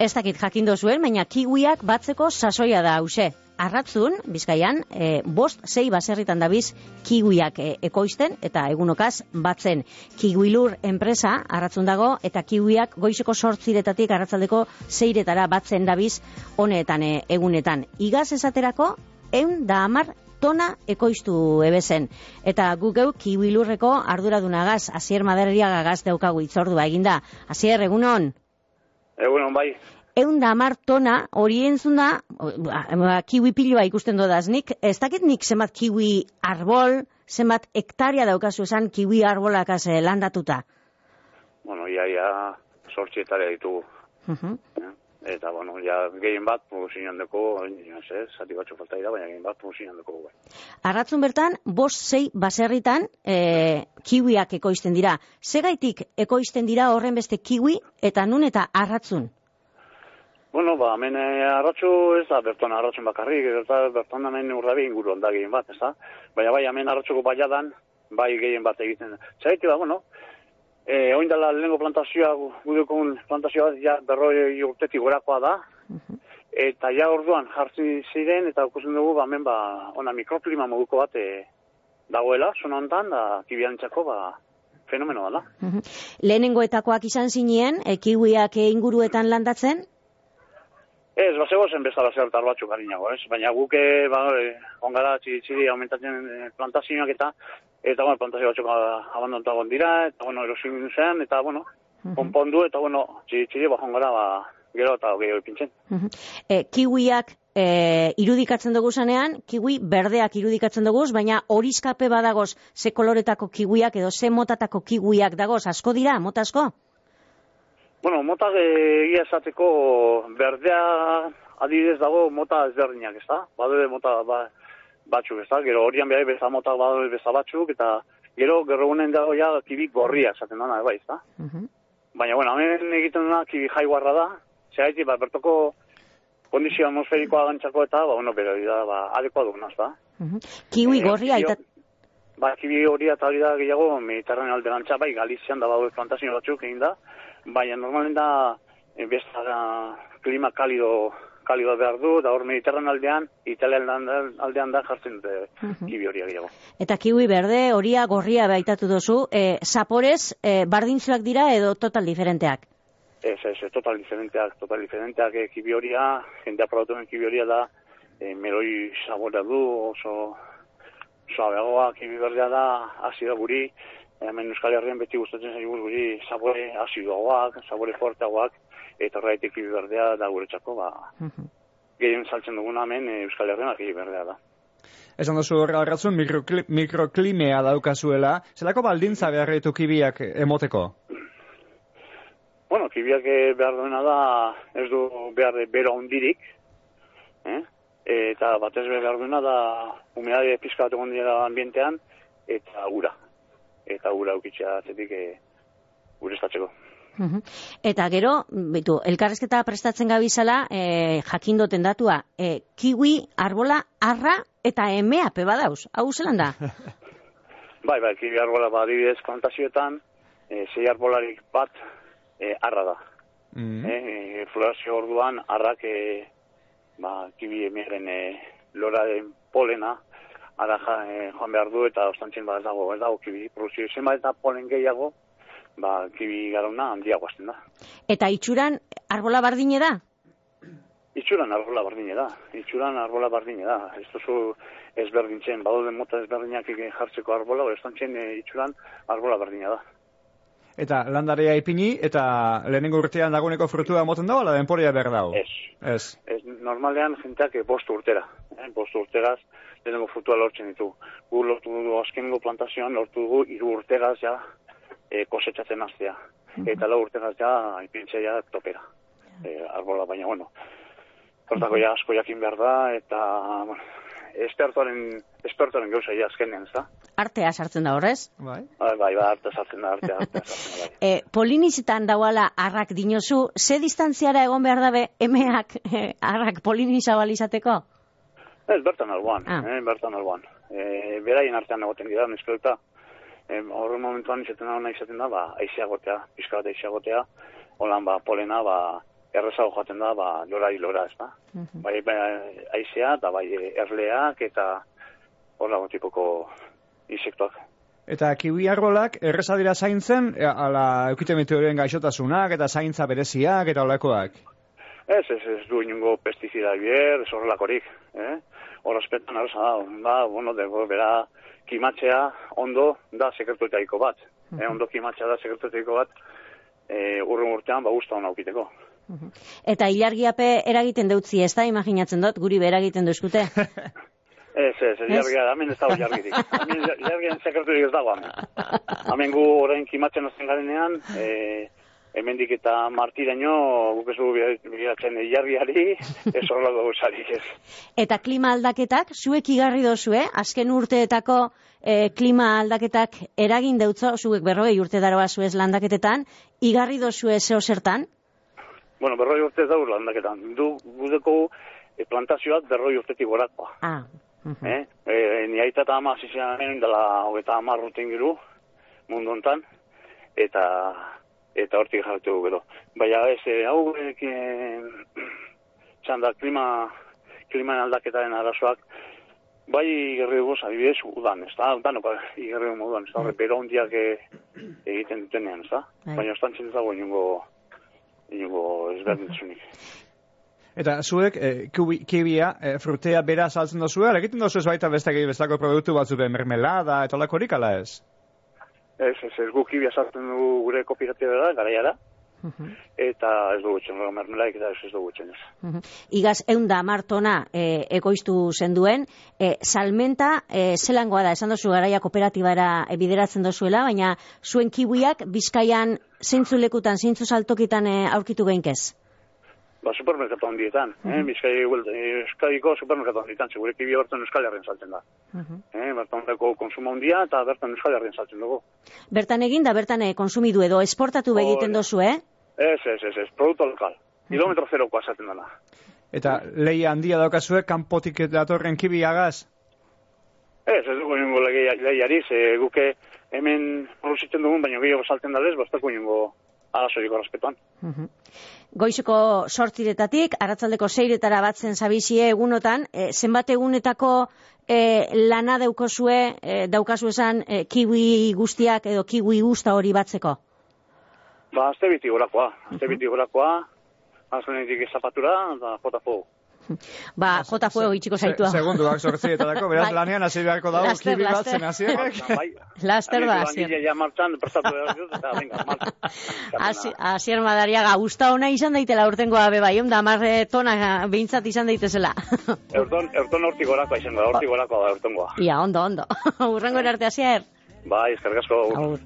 Ez dakit jakindu zuen, baina kiwiak batzeko sasoia da hause. Arratzun, Bizkaian, 5-6 baserritan dabiz kiwiak ekoizten eta egunokaz batzen. Kiwilur enpresa arratzun dago eta kiwiak goizeko 8:00 arratzaldeko 6:00 batzen dabiz honetan egunetan. Igaz esaterako 110 tona ekoiztu ebezen. Eta guk geu kiwilurreko arduradunagaz, Asier Madariagagaz daukagu itzordua eginda. Asier, egunon? Egunon, bai. 110 tona hori entzun da, kiwi piloa ikusten dodaz. Nik, ez dakit nik zenbat kiwi arbol, zenbat hektarea daukazu esan kiwi arbolakaz landatuta? Bueno, ia 8 hektarea ditugu. Eta, bueno, ja gehien bat produzinan deko, zati batzu falta dira, baina gehien bat produzinan deko. Arratzun bertan, 5-6 baserritan kiwiak ekoizten dira. Segaitik ekoizten dira horren beste kiwi eta nun eta arratzun? Bueno, hemen arratzu ez da berton arratzun bakarrik, berton hemen urrabi inguruan da gehien bat, ez da? Baina bai, hemen arratzuko baiadan, bai gehien bat egiten. Zergatik da, bueno, oin dela lehenko plantazioa, gudekun plantazioa ja 40 urtetik gorakoa da, eta ja orduan jartzen ziren, eta ikusten dugu, hemen ona mikroklima moduko bat dagoela, zona honetan, da kibiantzako, fenomeno dela. Lehenengoetakoak izan zinien, kiwiak inguruetan landatzen? Ez, bazego zen bezala zertar batzuk harinago, ez? Baina guke, ongara txiri aumentatzen plantazioak eta bueno, plantazio batzuk abandontagoen dira, eta bueno, erosin zen, eta bueno, konpondu, eta bueno, txiri ongara, gero eta gehiago ipintzen. Kiwiak irudikatzen dugu zanean, kiwi berdeak irudikatzen dugu, baina horizkape badagoz ze koloretako kiwiak edo ze motatako kiwiak dagoz, asko dira, mota asko? Bueno, mota egia esateko berdea adibidez dago mota ezberdinak, ez da? Badode mota batzuk, ez da? Gero horian behar beza mota badode beza batzuk, eta gero gunen dago ja kibi gorria esaten dana, bai, ez da? Baina, bueno, hemen egiten duna kibi jaiguarra da, zehaitik, bertoko kondizio atmosferikoa gantzako eta, bueno, bera da, adekoa duguna, ez da? Kiwi gorria eta... Kibi gorria eta hori da gehiago Mediterraneo alde gantza, bai, Galizian da badode plantazio batzuk egin da, baina normalen da klima kalido behar du, da hor Mediterran aldean, Italia aldean da jartzen dute kiwi horia gehiago. Eta kiwi berde, horia, gorria baitatu dozu, zaporez, bardintzuak dira edo total diferenteak? Ez, total diferenteak kiwi horia, jendea produktuen kiwi horia da, meloi saborea du, oso suabeagoa, kiwi berdea da, azido guri, hemen Euskal Herrian beti gustatzen zaigu guri sabore azidoagoak, sabore forteagoak, eta horregatik kiwi berdea da guretzako, gehien saltzen duguna hemen Euskal Herrian kiwi berdea da. Esan duzu arratzun mikroklimea daukazuela, zelako baldintza behar ditu kibiak emoteko? Bueno, kibiak behar duena da, ez du behar bero handirik, eta batez behar duena da humedade pizka bat egon dira ambientean, eta ura. Eta ura aukitzea atzetik ureztatzeko. Eta gero, elkarrezketa prestatzen gabizala, jakindoten datua, kiwi, arbola, arra eta emea peba dauz. Hau zelan da? Bai, kiwi arbola adibidez plantazioetan, 6 arbolarik bat arra da. Florazio orduan, arrak kiwi emearen loraren polena, ara joan behar du eta ostantzen ez dago kibi produzio zenbat eta polen gehiago, kibi garona handiago azten da. Eta itxuran arbola bardine da? Itxuran arbola bardine da. Ez duzu ezberdintzen, badoden mota ezberdinak jartzeko arbola, ostantzen itxuran arbola bardine da. Eta landarea ipini eta lehenengo urtean dagoeneko frutua moten dago, ala denporia behar dago? Ez. Normalean jenteak 5 urtera. 5 urteraz lehenengo frutua lortzen ditu. Gu lortu dugu azkenengo plantazioan, lortu dugu 3 urteraz ja kosetxatzen hastea. Eta 4 urteraz ja ipintzea ja topera. Arbola, baina, bueno, hortako ja asko jakin behar da, eta, bueno, espertoren gauza ja azkenean, ez da? Artea sartzen da horrez? Bai, artea sartzen da, bai. Polinizitan dauala arrak dinozu, ze distantziara egon behar dabe emeak arrak polinizabalizateko? Ez, bertan alboan. Beraien artean egoten dira, nizkelta. Horren momentuan izaten da, aizeagotea, pizka bat aizeagotea, holan polena, errezago joaten da, lora hilora, ez da. Bai aizea, eta bai erleak, eta horlago tipoko insektoak. Eta kiwi arbolak erreza dira zaintzen, ala eukite meteorien gaixotasunak, eta zaintza bereziak, eta olakoak? Ez du inungo pestizida bier, ez horrelakorik. Horrezpetan arreza da, bera kimatzea ondo da sekretuetaiko bat. Ondo kimatzea da sekretuetaiko bat, urren urtean guzta hona aukiteko. Eta ilargiape eragiten deutzi, ez da, imaginatzen dut, guri be eragiten duzkute? Ez, ilargia, hemen ez dago ilargirik. Hemen ilargian sekreturik ez dago, hemen. Hemen gu orain kimatzen azten garenean, hemendik eta martiraino, guk ez dugu biratzen ilargiari, ez horrelako gauzarik ez. Eta klima aldaketak, zuek igarri dozue, azken urteetako klima aldaketak eragin deutzo, zuek 40 urte daroa zuez landaketetan, igarri dozue zeo zertan? Bueno, 40 urte daur landaketan. Gudeko plantazioak 40 urtetik gorakoa. Ni aita eta ama zizean dela 30 urte ingiru mundu hontan, eta hortik jarretu gero. Baina ez, hau txanda kliman aldaketaren arazoak, bai igerri dugu, adibidez, udan, ez da? Danok igerri dugu moduan, ez da? Bero hondiak egiten dutenean, ez da? Baina ostantzen ez dago inungo ezberdintzunik. Eta zuek, kibia, frutea bera saltzen dozue, egiten dozu ez baita bestako produktu batzu mermelada, eta olakorik ala ez? Ez, gu kibia saltzen dugu gure kooperatibera, garaiara, eta ez dugu txen, mermelaik eta ez dugu txen ez. Igaz, 110 tona ekoiztu zenduen, salmenta zelangoa da, esan dozu garaia kooperatibara bideratzen dozuela, baina zuen kiwiak Bizkaian zeintzu lekutan, zeintzu saltokitan aurkitu geinkez? Supermerkatu handietan, Euskadiko supermerkatu handietan, segure kibia bertan Euskal Herrian saltzen da. Bertan dako konsumo handia eta bertan Euskal Herrian saltzen dugu. Bertan egin da, bertan konsumidu edo, esportatu begiten dozu, Ez, produktu lokal. Kilometro zerokoa saltzen dana. Eta lehia handia daukazue, kanpotik datorren kibiagaz? Ez dugu ningu lehiari, guke hemen produzitzen dugun, baina gehiago saltzen dalez, bastako ningu arazoiko respetuan. Goizeko 8:00 arratsaldeko 6:00 batzen zabizie egunotan, zenbat egunetako lana daukazu esan kiwi guztiak edo kiwi guzta hori batzeko? Azte biti gorakoa, azkenetik zapatura, eta jota jota fuego itxiko zaitua. Segunduak 8:00, beraz lanean hasi beharko dago kibi batzen hasiak. Laster da, Asier. Langilea martxan, prestatu behar dut, eta venga, martxan. Asier Madariaga, gusta ona izan daitela urtengoa bebai, 10 tona behintzat izan daitezela. Eurton hortik gorakoa izan da, hortik gorakoa da eurtongoa. Ia, ondo. Urrengo erarte, Asier. Bai, eskerrik asko.